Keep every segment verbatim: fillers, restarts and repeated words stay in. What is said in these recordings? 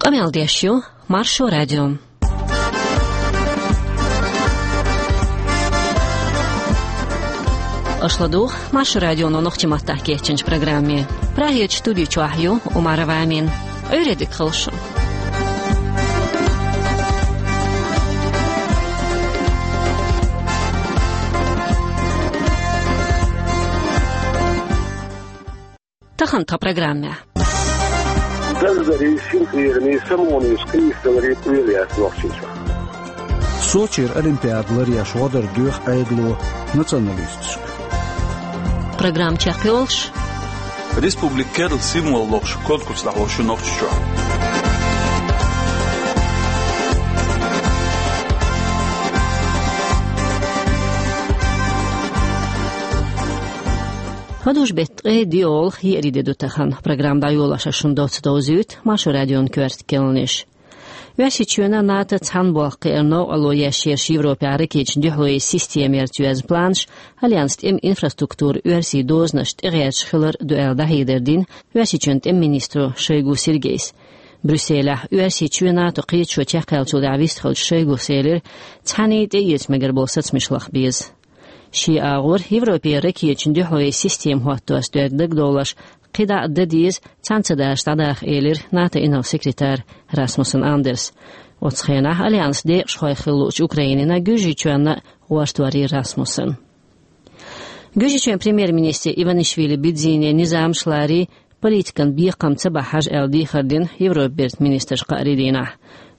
Къамел деш ю Маршо радио. Аша ладугӀу Маршо радионо нохчийн маттахь кечйинчу программе. Прагерчу студи чохь ю Умарова Амина. Ӏуьйре дика хуьлда шун. Тахана тхан программехь. Даздарий, синкъерамий, самонаш, къийсаларий къоьлла яц Нохчийчохь. Сочера Олимпиада ларъеш гӀо дар доьху Ӏедало националисташка. Программа чекхйолуш. Республикан керла символ лохуш конкурс дӀахьош ю Нохчийчохь. ХӀадужу беттан ткъе диъолгӀа, еарий де ду тахана. Программа дӀайолош ас шуна доцца довзуьйту Маршо радион коьрта керланаш. Оьрсийчоьнан а, НАТО-н а цхьана болх кхиарна новкъарло еш ерш Европехь ракеташна дуьхьало йина система ярца йоьзна планаш, Альянсан тӀеман инфраструктуран оьрсийн дозанашна тӀегӀерташ хилар ду аьлла дӀахьедар дина Оьрсийчоьнан тӀеман министро Шойгу Сергейс. Брюсселехь Оьрсийчоь а, НАТО-н а кхеташо чекхъяьллачул тӀаьхьа вистхиллачу Шойгус элира, цхьаьний тӀеэца мегар болу сацамаш лаха беза. Шен агӀор Европе ракеташна дуьхьало йина система хӀоттош дерг дагадовлош, кхидӀа а дан деза, цхьаьна ца дараш дӀадаха, элира НАТО-н инарла секретара Расмуссен Андерса. Оцу хенахь Альянсан декъашхой хилла луучу Украинина а, Гуьржийчоьнна а гӀортор йира Расмуссен. Гуьржийчоьнан премьер-министре Иванишвили Бидзине низамаш ларий, политикан бекхам ца бахьаш аьлла дехар дина Европан бертан министрашна кхаарин дийнахь.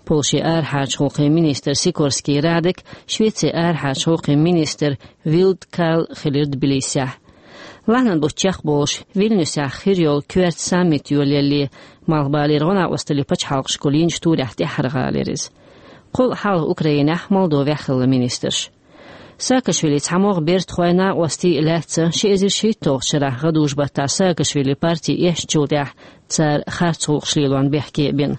Польшин арахьарчу гӀуллакхийн министр Сикорский Радек, Швецин арахьарчу гӀуллакхийн министр Вилд Карл хилира Тбилисехь. Лахьанан бутт чекхболуш, Вильнюсехь хир йолу коьрта саммит йолаялале, Малхбалера гӀо-накъосталлин пачхьалкхашкахула йинчу турехь тӀаьххьара гӀала яра иза. Кхул а хьалха Украинехь, Молдовехь хилла министраш. Саакашвилин цхьамогӀа бертахой, накъостий а лаьцна, ши эзар шийтталгӀачу шарахь гӀадужу-баттахь Саакашвилин парти эшначул тӀаьхьа цара харц гӀуллакхаш лелорна бехке а бина.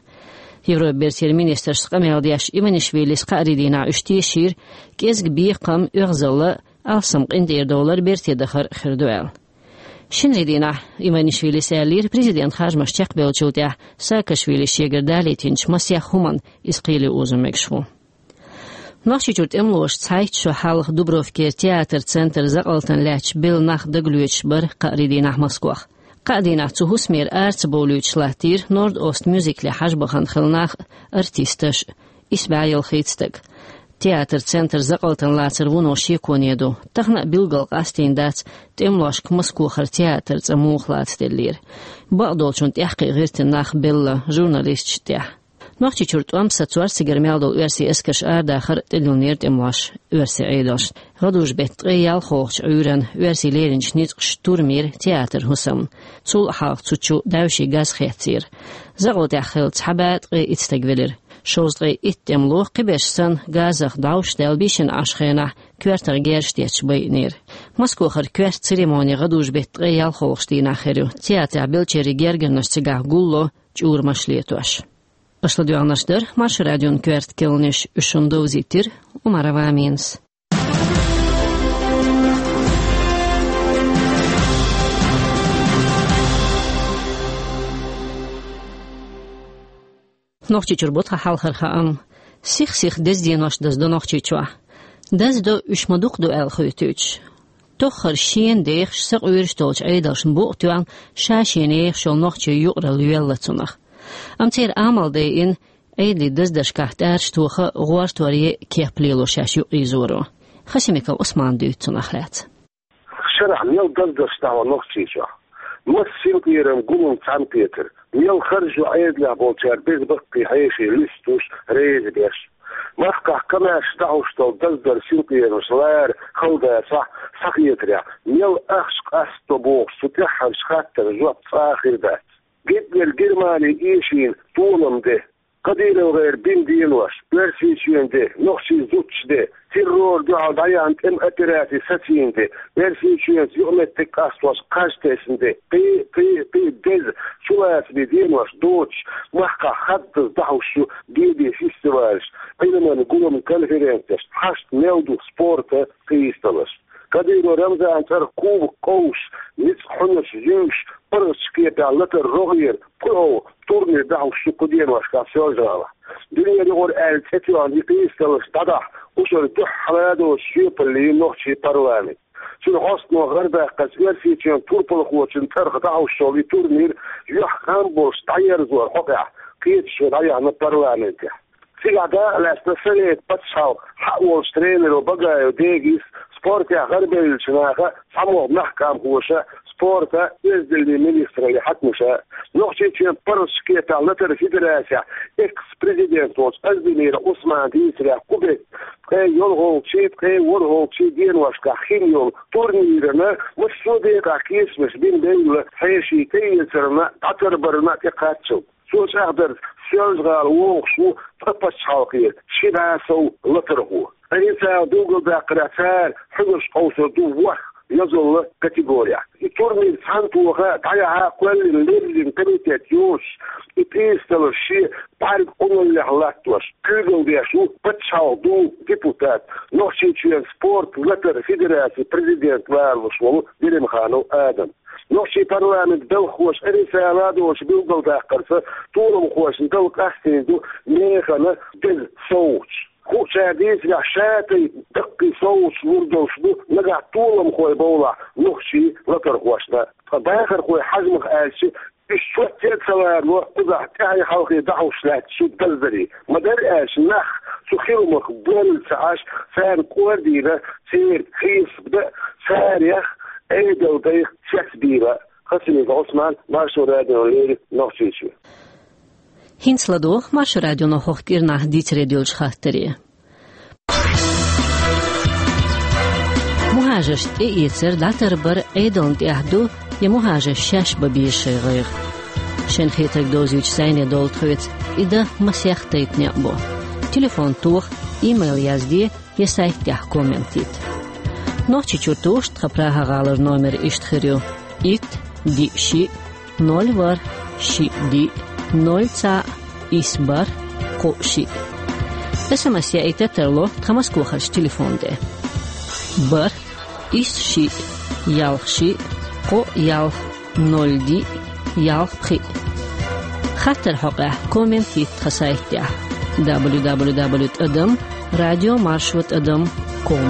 Европан бертера министрашца къамел деш Иванишвилис кхаарин дийнахь уьш тешийра, кӀезиг бекхам, оьгӀазалла, алсам къинтӀера довлар берте дахар хир ду аьлла. Шинарин дийнахь Иванишвилис аьллера, президентан харжамаш чекхбеллачул тӀаьхьа Саакашвилис шегара далийтинчу масех хӀуманна иза кхеле озо мегаш ву. Нохчийчуьра тӀемалоша цхьайтта шо хьалха Дубровкера театр-центр закъалтана лаьтташ белла нах дагалоьцуш бара кхаарин дийнахь Москвахь. Кхаа дийнахь цу хӀусамера ара ца бовлуьйтуш латтийра Норд-Ост мюзикле хьажа бахана хилла нах а, артисташ а, исс бӀе ялхитта стаг. Театр-центр закъалтана лацар вуно шеконе ду. Тахана а билггал къастийна дац, тӀемалошка Москвахара театр цӀа муха лацаделлера. Бакъдолчунна тӀаьхкхиа гӀиртина нах белла, журналисташ а тӀехь. Нохчийчуьра тӀом сацор, цигара мел долу оьрсийн эскарш арадахар тӀедиллинера тӀемалоша оьрсийн Ӏедалшна. ГӀадужу беттан ткъе ялхолгӀачу Ӏуьйранна оьрсийн леринчу ницкъаша тур мийра театран хӀусамна. Цул а хьалха цу чу даьвшийн газ хецира. Закъалтехь хилла цхьа бӀе ткъе итт стаг велира. Шовзткъе итт тӀемало, кхиберш санна, газах дӀовш даьлла, бийшина Ӏаш хенахь коьртах герзаш детташ байинера. Москвахара коьрта церемони гӀадужу беттан ткъе ялхолгӀачу дийнахь хир ю, театрехь беллачеран гергарнаш цигахь гулло, чӀурамаш летош. Аша ладоьгӀнарш дара Маршо радион коьрта керланаш, уьш шуна довзийтира Умарова Аминас. Нохчийчуьра бу тхан хьалхара хаам. Сих-сиха деза денош даздо Нохчийчохь. Даздо уьш ма дукха ду аьлла хуьйтуьйтуш. Тоххара шена дехаш, сакъоьруш долчу Ӏедалшна букъ тоьхна, ша-шена ехаш йолу нохчийн юкъаралла йоьлла цунах. Амма церан амал дайина, Ӏедалан даздаршкахь тӀараш тоха, гӀортор е кеп лело шаьш юкъайизоро. Хасимиков Ӏусмана дуьйцу цунах лаьцна. Шарахь мел даздарш дӀахьо Нохчийчохь? Масса синкъерам, гулам цхьаьнакхетар? Мел харжа ю Ӏедалехь болчара беза баккхий хьеший луьстуш, реза беш? Махкахь комаьрша дӀахьош долу даздар, синкъерамаш лара хала дацахь, схьахетарехь, мел ахча къасто бохуш, цу тӀаьххьарчу хаттаран жоп цкъа а хир дац. Гитлер Германи эшийна толам де, КадыровгӀеран бина денош, Оьрсийчоьнан де, нохчийн зудчийн де, террор дуьхьал дӀаяьхьна тӀеман операци сацийна де, Оьрсийчоьнца юкъаметтиг къастош кхаж тесна де, кхин, кхин, кхин деза, чулацаме денош доцуш, махкахь хаддаза дӀахьош ю беде фестивалаш, Ӏилман, гулам конференцеш, хьашт мел ду спорта къийсадаларш. Кадыров Рамзана цӀерах кубок къовсуш, ницкъ хьунаш юьйш, паргӀатчу кепехь латар рогӀера пхуьйолу турнир дӀахьуш ду кху деношкахь Соьлжа-ГӀалахь. Дуьненан юкъара аьлла цӀе тоьхна и къийсадаларш дӀадахьа, кхушара дуьххьара доцуш жоьпалла йина нохчийн парламент. Цуьнан хьостано гӀардаккхарца Оьрсийчоьнан турпалхочун цӀарах дӀахьуш йолу и турнир юьхькъам болуш дӀаерзоран хьокъехь кхеташо дӀаяьхьна парламентехь. Цигахь дакъалаьцна Советан пачхьалкхан хьаъ волчу тренеро Багаев Дегис, спортехь гӀарабевллачу наха, цхьамогӀа мехкан хьаькамхоша, спорта, оьздангаллин министраллин хьаькамаша, Нохчийчоьнан паргӀатчу кепехь латаран федерацехь экс-президент волчу Оздемиров Ӏусмана дийцарехь, кху беттан ткъе йолхалгӀачий, ткъе ворхӀалгӀачий деношкахь хин йолу турнирана массо а декъехь кхетамаш бина белла, хьеший тӀеэцарна, дӀатарбарна тӀекхаччалц. Цо чӀагӀдарца, Соьлжа-ГӀала вогӀуш ву ткъа пачхьалкхера ши бӀе сов латархо. Ткъа хӀинца билгалдаккхарехь, цара хьуьнарш къовсур ду ворхӀ йозаллин категорехь. И турнир цхьаьнатоха дӀаяхьа кхоьллина леррина комитет йоцуш, и къийсадаларш шен бӀаьрган къуналлехь латтош, куьйгалла деш ву Пачхьалкхан Думин депутат, Нохчийчоьнан спорт латаран федерацин президент лоруш волу Делимханов Адам. Нохчийн парламентан белхахоша Ӏеса ладогӀарца билгалдаккхарца, толамхошна дала къастийна ду механа деза совгӀаташ. Хуучара дийцарехь, ша тайпа даккхий совгӀаташ лур долуш ду нагахь толамхой бовлахь нохчийн латархошна. Ткъа бахархойн хьежамах аьлча, уьш чоьте а ца ларо, кхузахь тӀаьхье-хьалхе дӀахьуш лаьтташ ю даздарий. Ма-дарра аьлча, нах цу хиламах боьлла ца Ӏаш, царна кӀордийна церан хьесап дан а, царех Ӏедалан дайх цецбийна а. Хасимиков Ӏусман, Маршо радиона леррина, Нохчийчоь. ХӀинца ладогӀа Маршо радионо хӀокху кӀирнахь дийцаре доьллачу хаттаре. Мухажарш тӀеэцар, дӀатарбар Ӏедална тӀехь ду, я мухажарш шаьш бан беза шайн гӀайгӀа? Шайна хетарг довзуьйтуш зӀене довла тхоьца, и дан масех тайпа некъ бу. Телефон тоха, имейл язде, я сайт тӀехь коммент йита. Нохчийчуьра тоьуш тхан Прага-гӀалара номер иштта хир ю: итт, диъ, шиъ, ноль, ворхӀ, шиъ, диъ, ноль, цхьаъ, исс, бархӀ, кхоъ, шиъ. СМС яийта тарло тхан Москохарчу телефон тӀе: бархӀ, исс, шиъ, ялх, шиъ, кхоъ, ялх, ноль, диъ, ялх, пхиъ. Хаттар хьокъехь коммент йита тхан сайт тӀехь: дабл ю дабл ю дабл ю тӀадам радио маршо тӀадам ком.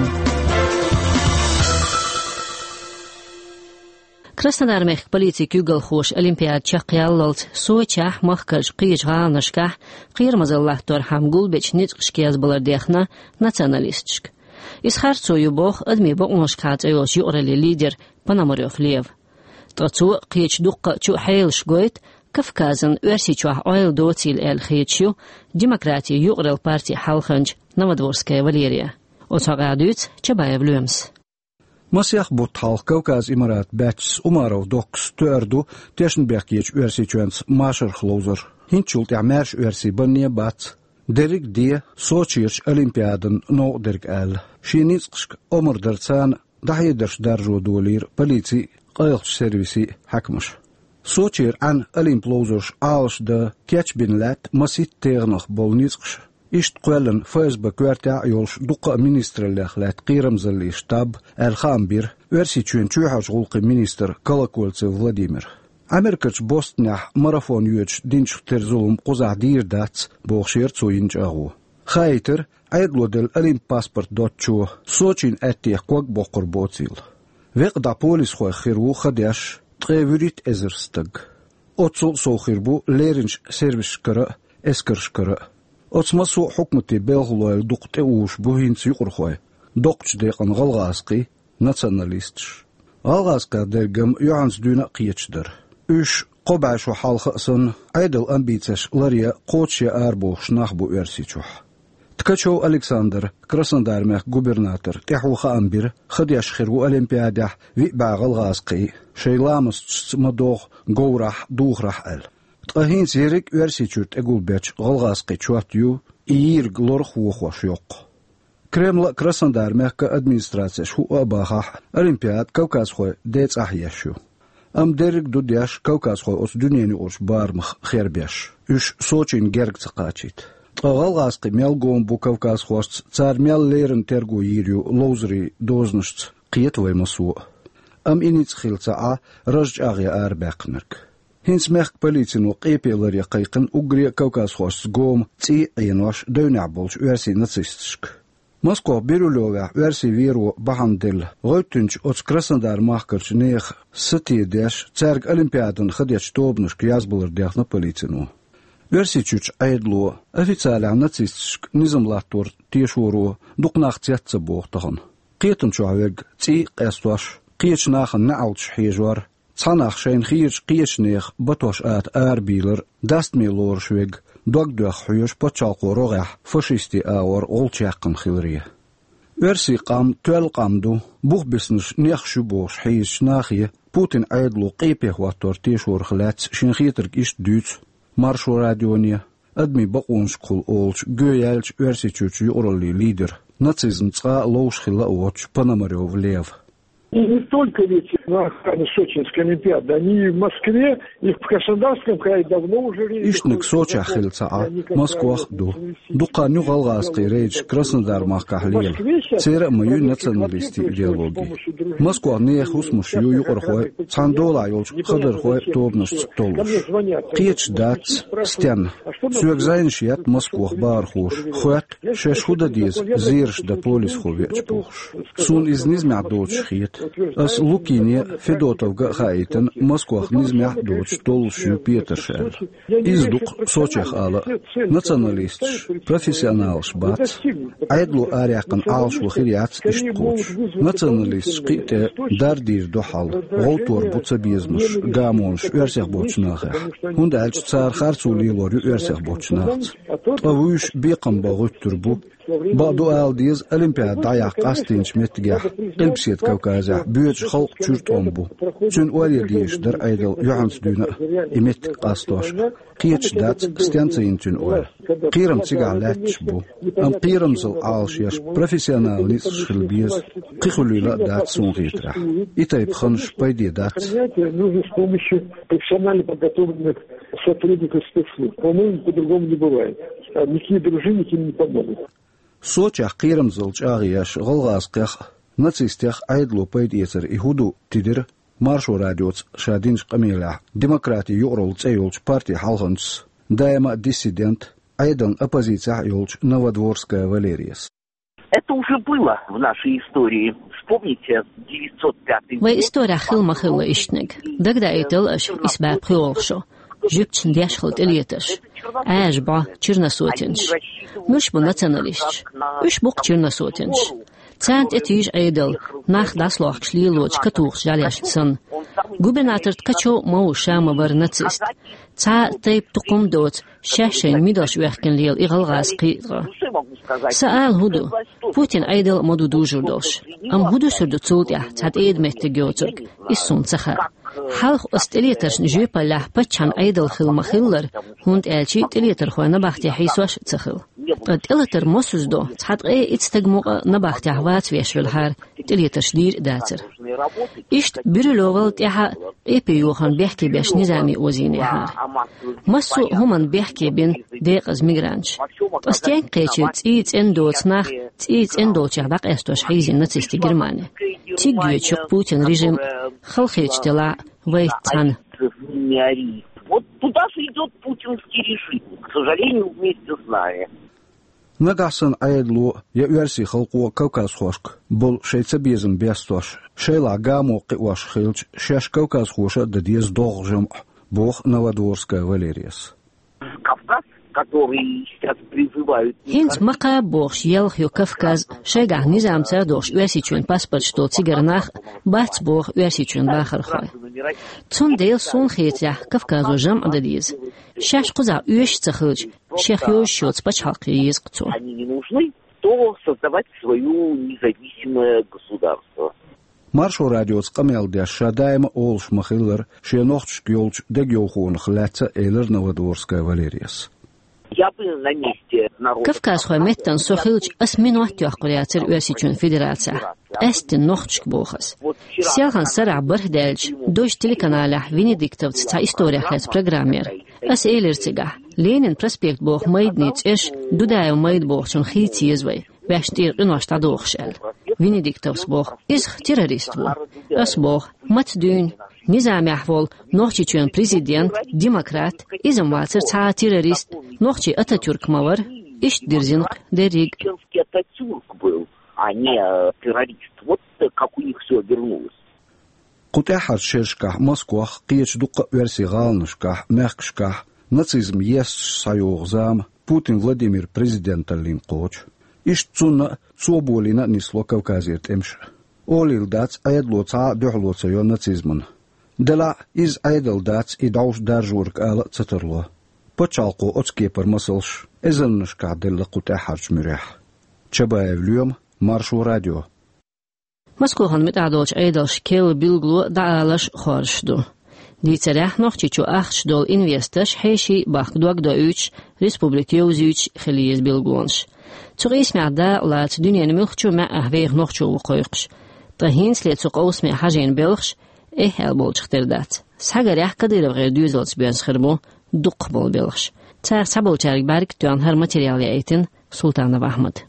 Краснодар-мехкан полицин куьйгалхоша олимпиада чекхъяллалц Сочехь, махкарчу кхечу гӀаланашкахь кхерамазалла латторхьама гулбечу ницкъашка язбалар дехна националисташка. Иза харцо ю боху адамийн бакъонашкахьа цӀе йолчу юкъараллин лидера Пономарёв Лева. Ткъа цо а, кхечу дуккха а чу а хьелаш гойту, Кавказан Оьрсийчохь ойла доцийла аьлла хеташ ю Демократин юкъаралла партин хьалханча Новодворская Валерия. Оцу хьокъехь дуьйцу Чабаев Лоьмас. Масех бутт хьалха Кавказ Имарат баьчча Умаров Доккас тоьар ду тешнабехкечу Оьрсийчоьнца машарх ловзар. ХӀинцачул тӀаьхьа маьрша оьрсий банне а бац. Дерриг а де Сочерчу олимпиадан новкъа дерг аьлла. Шен ницкъашка омра дар царна дӀахьедарш даржо долийра полицин а, къайлахчу сервисийн а хьаькамаша. Сочера Ӏаьнан олимп ловзарш Ӏалашдан кечбина лаьтта масийтта тегӀанах болу ницкъаш. Иштта кхоьллина ФСБ коьртехь а йолуш дуккха а министраллех лаьтта кхерамзаллин штаб аьлла хаам бира Оьрсийчоьнан чоьхьарчу гӀуллакхийн министра Колокольцев Владимира. Америкерчу Бостонехь марафон йоьдуш динчух тера зулам кхузахь дийр дац, бохуш яра цо йина чӀагӀо. Хаийтира, Ӏедало делла олимп паспорт доцучо Сочина аьттех ког боккхур боцийла. Векъа дӀа полисхойх хир ву ха деш ткъе вуьрхӀитта эзар стаг. Оццул а сов хир бу леринчу сервисашкара а, эскаршкара а. Оцу массо а хьукматийн белхалойла дукха тӀеуьйш бу хӀинца юкъархой, доккхачу декъана гӀалгӀазкхий, националисташ. ГӀалгӀазкхех дерг-м юьхьанца дуьйна а кхеташ дара. Уьш кхо бӀе шо хьалха а санна, Ӏедалан амбицеш ларъян, кхочушъян арабохуш нах бу Оьрсийчохь. Ткачев Александр, Краснодар-мехкан губернатор, тӀаьхьо хаам бира, ха деш хир ву олимпиадехь виъ бӀе гӀалгӀазкхий, шайн ламасташца ма-догӀу говрахь, духарахь аьлла. Ткъа хӀинца ерриг а Оьрсийчуьра тӀегулбечу гӀалгӀазкхийн чот ю и йийриг лорах вохош йоккху. Кремлан а, Краснодар-мехкан администрацеш хӀуъа а бахахь, олимпиада кавказхойн ден цӀахь еш ю. Амма дерриг а ду деш, кавказхой оцу дуьненан юкъарчу барамах хербеш, уьш Сочина герга ца кхачийта. Ткъа гӀалгӀазкхий мел гома бу кавказхошца, цара мел леррина терго йийр ю ловзарийн дозанашца, кхета вай массо а. Амма и ницкъ хилла ца Ӏа, раж чӀагӀъян арабаьккхинарг. ХӀинца мехка полицино къепе ларъян кхайкхина уггаре а кавказхошца гома цӀий а Ӏенош девнехь болчу оьрсийн нацисташка. Москох Бирюлевехь оьрсийн веро бахьана делла, гӀевттинчу оцу Краснодар-махкарчу нехан сатийсаш, цаьрга Олимпиадана хадечу тобанашка язбалар дехна полицино. Оьрсийчуьрчу Ӏедало, официалехь нацисташка низам латтор тешоро, дукха нах цец ца боху тахана. Кхетам чохь верг цӀий а къестош, кхечу нахана неӀалташ хьежор, цхьа нах шайна хийрачу кхечу нехан батош ата арабийлар, дастаме лоруш верг дог доьхна хьоьжуш пачхьалкхан рогӀехь фашистийн агӀор гӀулч яьккхина хиларе. Оьрсийн къам тоьлла къам ду, бух бисинарш нехан ю бохуш хьийзачу нахе Путинан Ӏедало къепе хӀоттор тешорах лаьцна шен хетарг иштта дуьйцу Маршо радионе, адамийн бакъонашкахула олучу гӀоьнчу Оьрсийчуьрчу юкъараллин лидера, нацизм цкъа а ловш хилла а воцучу Пономарёв Лева. И не только ведь на охране Сочинской Олимпиады, они и в Москве, и в Краснодарском крае давно уже реют. Иштаниг Сочехь хилла ца Ӏа, Москвах а ду. Дукха хан ю гӀалгӀазкхийн рейдаш Краснодар-махкахь лела. Церан а ма ю националистийн идеологи. Москвахь нехан хӀусамаш ю юкъархой, цхьана долахь йолчу хадархойн тобанашца толлуш. Кхеташ дац, стенна. Соьга зӀенаш етта Москвахь бахархоша, хоьтту, шаьш хӀун дан деза, зераш дан полисхо веача бохуш. Суна иза низамехь доцуш хета. Ас Лукине а, Федотовга а хаийтина, Москвахь низамехь а доцуш толлуш ю петарш аьлла. Иза ду-кх Сочехь ала а. Националисташ, профессионалаш бац. Ӏедало араяьккхина Ӏалашо хир яц иштта кхочуш. Националисташ кхин а тӀе дардийр ду хьал, гӀовттор бу цабезамаш, гамонаш оьрсех боцчу нахехь. ХӀунда аьлча цара харцо лелор ю оьрсех боцчу нахаца. Ткъа вуьйш бекхам бан гӀуьттур бу. Бакъду ала деза, Олимпиада дӀаяккха къастийначу меттигехь Къилбаседа Кавказехь боьдучу халкъан чуьра тӀом бу. Цуьнан ойла ян дезаш дара Ӏедал юьхьанца дуьйна а, и меттиг къастош а. Кхеташ дац, стенна ца йина цуьнан ойла. Кхерам цигахь лаьтташ бу. Амма кхерамзалла Ӏалашъеш профессионал ницкъаш хила беза. Кхин хуьлийла а дац суна хетарехь. И тайпа ханаш пайде дац. Нужно с помощью профессионально подготовленных сотрудников спецслужб. По-моему, по-другому не бывает. А никакие дружинники не помогут. Сочехь кхерамзалла чӀагӀъеш гӀалгӀазкхех а, нацистех а Ӏедало пайда эцар и хӀун ду, тидира Маршо радиоца ша динчу къамелехь «Демократин юкъаралла» цӀе йолчу партин хьалханчас, даима а диссидент, Ӏедална оппозицехь а йолчу Новодворская Валерияс. Это уже было в нашей истории. Вспомните девятьсот пятый год. Вайн исторехь хилла ма хилла иштаниг. Дагадаийтал аша, исс бӀе пхоьалгӀа шо. Жуьгташна деш хилла тӀелетарш. Ӏаьржа бӀо, черносотенцаш. Муьлш бу националисташ? Уьш бу-кх черносотенцаш. Царна тӀе тийжа Ӏедал, нах дӀасалохкуш лелочу катухачу жӀаьлешна санна. Губернатор Ткачев ма ву, ша ма вара нацист. Цхьа а тайпа тукхум а доцу, шаьш шайна мидалш оьхкина лела и гӀалгӀазкхий а. Сан ала хӀун ду? Путинан Ӏедал а ма ду дужур долуш. Амма хӀун дуьсур ду цул тӀаьхьа цхьа тӀеда меттиг йоцург? Иза суна ца хаьа. Хьалха оцу тӀелетаршна жоьпаллехь паччахьан Ӏедал хилла ма-хиллара, хӀунда аьлча тӀелетархой набахте хьийсош а ца хилла. Ткъа тӀелатар мосазза до, цхьа ткъе итт стаг мукъа а набахтехь вац веш велахьара, тӀелетарш дийр а дацара. Иштта Бирюлевал тӀаьхьа а къепе йохарна бехке беш низаме озийнехьара. Массо а хӀуманна бехке бина декъаза мигранташ. Ткъа стенга кхечира цӀий цӀена доцу нах, цӀий цӀена долчех дӀакъаьстош хьийзийна нацистийн Германи? Цига йоьдуш ю-кх Путинан режим, халахеташ делахь а, вайца цхьаьна. Вот туда же идёт путинский режим, к сожалению, вместе с нами. Нагахь санна Ӏедало я оьрсийн халкъо кавказхошка болу шайн цабезам бестош, шайлахь гамо кхиош хилча, шаьш кавказхоша а дан деза догӀу жамӀ, боху Новодворская Валерияс. Кавказ, который сейчас призывают. ХӀинца ма кхаба бохуш елха ю Кавказ, шайгахь низамца а дохуш Оьрсийчоьнан паспорташ долу цигара нах а бац боху Оьрсийчоьнан бахархой. Цундела суна хетарехь Кавказо жамӀ дан деза. Шаьш кхузахь оьшуш а ца хилча, шех йозуш йоцу пачхьалкх ян еза-кх цо. Они не нужны, то создавать своё независимое государство. Маршо радиоца къамел деш ша даима а олуш ма-хиллара, шен нохчашка йолчу дегайовхонах лаьцна а элира Новодворская Валерияс. Я бы на месте народа. Кавказхойн меттана со хилча, ас минот йоккхур яцара Оьрсийчоьнан Федерацехь. Къаьсттина нохчашка боху ас. Селхана сарахь бархӀ даьлча, Дождь телеканалехь Венедиктовца цхьа исторех лаьцна программа яра. Ас элира цигахь: Ленинан проспект боху майданийн цӀераш Дудаев майда бохучунна хийца еза вай, ваьшна тӀера къинош дӀадохуш аьлла. Венедиктовс боху: «Иза террорист ву». Ас боху: «Маца дуьйна? Низамехь волу Нохчийчоьнан президент, демократ, иза-м вацара цхьа а террорист, нохчийн Ататюрк ма вара». Иштта дирзина-кх дерриг. Чеченский Ататюрк был, а не, э, террорист. Вот, э, как у них всё обернулось. Кху тӀаьххьарчу шерашкахь Москвахь, кхечу дуккха а оьрсийн гӀаланашкахь, мехкашкахь нацизм есташ схьайогӀу зама Путин Владимир президенталлин кхочу. Иштта цунна а, цо болийна а нисло Кавказера тӀемаш. Олийла дац, Ӏедало цхьа а дуьхьало ца йо нацизмана. Делахь а, иза Ӏедал дац и дӀовш даржорг ала а ца тарло. Пачхьалкхо оцу кепара масалш эзарнашкахь делла кху тӀаьххьарчу муьрехь. Чабаев Лоьма, Маршо радио. Москвахана муьтӀахь долчу Ӏедалша керла билгало дӀааларш хоржуш ду. Дийцарехь, Нохчийчу ахча долу инвесторш хьеший а бахка дог доуьйтуш, республика йовзуьйтуш хила еза билгалонаш. Цу къийсамехь дакъа лаца дуьненан муьлххачу маьӀӀехь веха нохчо ву кхойкхуш. Ткъа хӀинцале цу къовсаме хьажийна белхаш эхь аьлла болчух тера дац. Схьагарехь, КадыровгӀеран доьзалца боьзна хир бу дукхахболу белхаш. Царах цхьаболчаьрга бӀаьрг а тоьхна хӀара материал яийтина Султанов Ахьмада.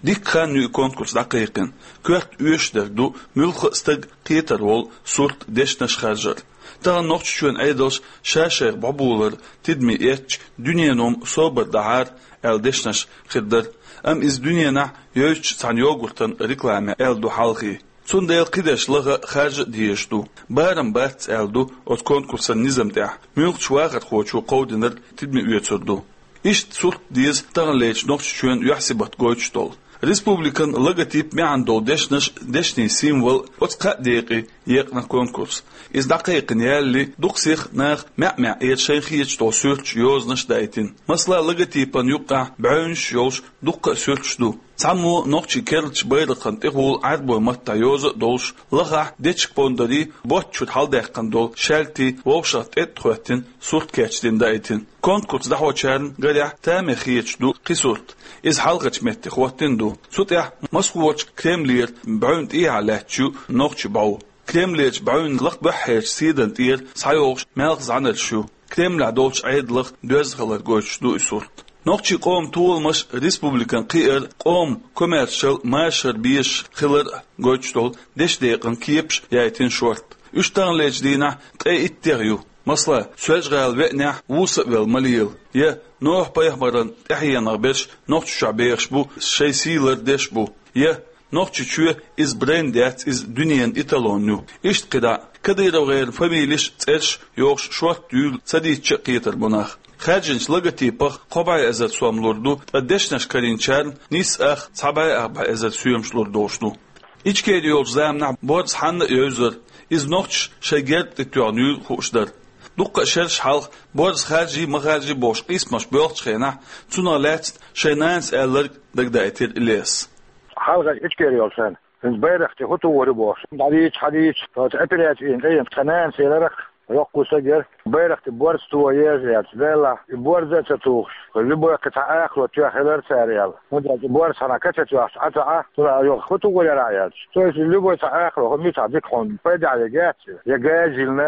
Дикка хан ю и конкурс дӀакхайкхина. Коьрта оьшуш дерг ду муьлхха а стаг кхетар волу сурт дешнаш харжар. Тахана Нохчийчоьнан Ӏедалш ша-шайх бӀобулар тидаме эцча, дуьнено-м собар дахьара аьлла дешнаш хир дара, амма иза дуьненахь йойтучу цхьана йогуртан рекламе аьлла ду хьалхе. Цундела кхидерш лаха а, харжа а дезаш ду. Барам бац аьлла ду оцу конкурсан низам тӀехь, муьлххачу вахархочо кховдинарг тидаме оьцур ду. Иштта сурт деза таханлерчу Нохчийчоьнан юьхь-сибат гойтуш долу. Республикан логотип маьӀна долу дешнаш, дешнийн символ, оцу кхаа декъе екъна конкурс. Иза дӀакхайкхина ялале, дукха сиха наха маьӀ-маьӀӀера шайна хеташ долу суьрташ, йозанаш даийтина. Масала, логотипан юккъехь бӀаьвнаш йолуш дуккха а суьрташ ду. Цхьаммо нохчийн керлачу байракхана тӀехула Ӏаьрбойн маттахь йоза а долуш, лахахь дечиг-пондарий, боцчуьра хьалдаьккхина долу шаьлтий вовшах тӀетӀа хӀоьттина сурт кечдина даийтина. Конкурс дӀахьочарна гарехь тамехь хеташ ду кхин сурт. Иза хьалхарчу метте хӀоттийна ду. Цу тӀехь масхочу Кремлера бӀаьвна тӀехьа лаьтташ ю нохчийн бӀов. Кремлерчу бӀаьвнийн лакха баьхьарчу седан тӀера схьайогӀуш маьлхан зӀаьнарш ю. Кремлехь долчу Ӏедалах доьзна хилар гойтуш ду и сурт. Нохчийн къоман толамаш республикан кхиар, къоман комаьршалла машар безаш хилар гойтуш долу дешдекъан кепаш яийтина шорта. Уьш таханлерчу дийнахь ткъе иттех ю. Масала, Соьлжа-ГӀала веанехь вуса а велла ма лела, я Нохь-пайхамаран тӀаьхьенах берш Нохчийчохь бехаш бу, шайн сий лардеш бу, я Нохчийчоь иза бренд яц, иза дуьненан эталон ю. Иштта кхидӀа а. КадыровгӀеран фамилеш а, цӀерш а йохуш шорта юьйлу ца дийцча а кхетар бу нах. Хаьржинчу логотипах кхо бӀе эзар сом лур ду, ткъа дешнаш карийначарна нийсса ах цхьа бӀе ах бӀе эзар соьмаш лур долуш ду. Ичкери йолчу заманахь борз хьанна а евзара, иза нохчаша шайн герба тӀе тоьхна юйла хууш дара. Дуккха а шераш хьалха борз харжий, ма харжий бохуш къийсамаш боьлхучу хенахь, цунах лаьцна шайн нанас аьлларг дагадаийтира Ильяс. Хьалха Ичкери йолчу хенахь, хӀинца байракх тӀе хӀун тухур ю бохуш, дӀадийча, хьадийча, оцу операци йина тӀе йина, тхан нанас элира-кх, йоккха стаг яра, байракх тӀе борз тухур еза аьлча, Делахь, и борз а ца тухуш, любой кхин цхьа акхало тоьхна хилар цара аьлла. ХӀунда аьлча и борз хьанна ка ца тоьхча, Ӏа ца Ӏа, цунах йоху хӀун тухур яра аьлча. То есть любой цхьа акхало, хӀун мичахь дика хьуна, пайда а яц, я газ йиллина,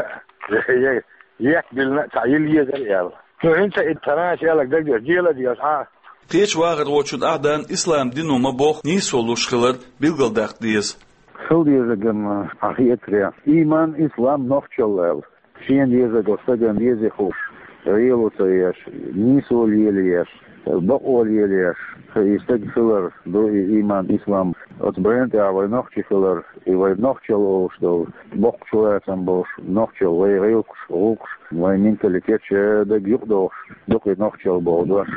я, я ек биллина а цхьа йилла езара аьлла. Ну, хӀинца и тхан нанас аьлларг дагадеш, дела а дезаш Ӏа. Кхечу вахархочунна Ахьдан ислам дино ма-бохху нийсо луш хилар билгалдаккха деза. Хила дезарг-м хьан хетарехь, ийман, ислам, нохчалла аьлла. Шена дезарг оцу стагана деза хууш, гӀело ца еш, нийсо лелаеш, бакъо лелаеш, и стаг хилар ду и ийман, ислам. Оцу брендехь вай нохчий хилар, и вай нохчалла олуш долу, боккхачу лацам болуш, нохчалла вай гӀиллакхаш, гӀуллакхаш, вайн менталитет ша дага юкъадохуш, дукха и нохчалла боху дош.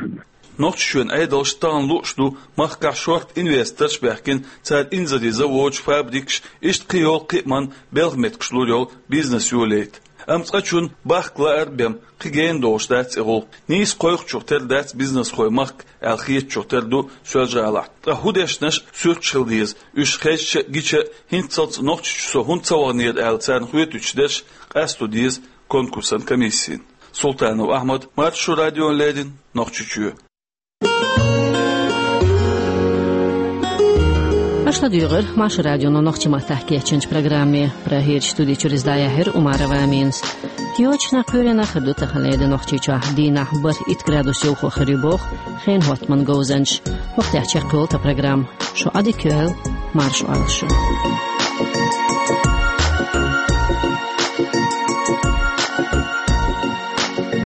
Нохчийчоьнан Ӏедалша тахана лууш ду махкахь шорта инвесторш а баьхкина, цара инзаре заводаш, фабрикаш, иштта кхин йолу кхиаман белхан меттигаш лур йолу бизнес йолийта. Амма цкъачунна бахка лаар а бен, кхин гена долуш дац и гӀуллакх. Нийса кхойкхучух тера дац бизнесхой махка аьлла хетачух тера ду Соьлжа-ГӀалахь. Ткъа хӀун дешнаш, суьрташ хила деза, уьш хезча а, гича а, хӀинццалц Нохчийчу со хӀунда ца ваханера аьлла царна хоьтуьйтуш дерш къасто деза конкурсан комиссина. Султанов Ахьмад, Маршо радиона леррина, Нохчийчоь. Аша ладуьйгӀира Маршо радионо нохчийн маттахь кечйинчу программе. Прагерчу студи чуьра иза дӀаяьхьира Умарова Аминас. Кхечу кхаьрдачу кхаьрдина хир ду таханлера Нохчийчохь, дийнахь бархӀ-итт градус йовхо хир ю боху хенан хӀоттаман говзанчаша. ХӀокху тӀехь чекхйолу тхан программа. Шун Ӏадика йойла. марш алгъ шу.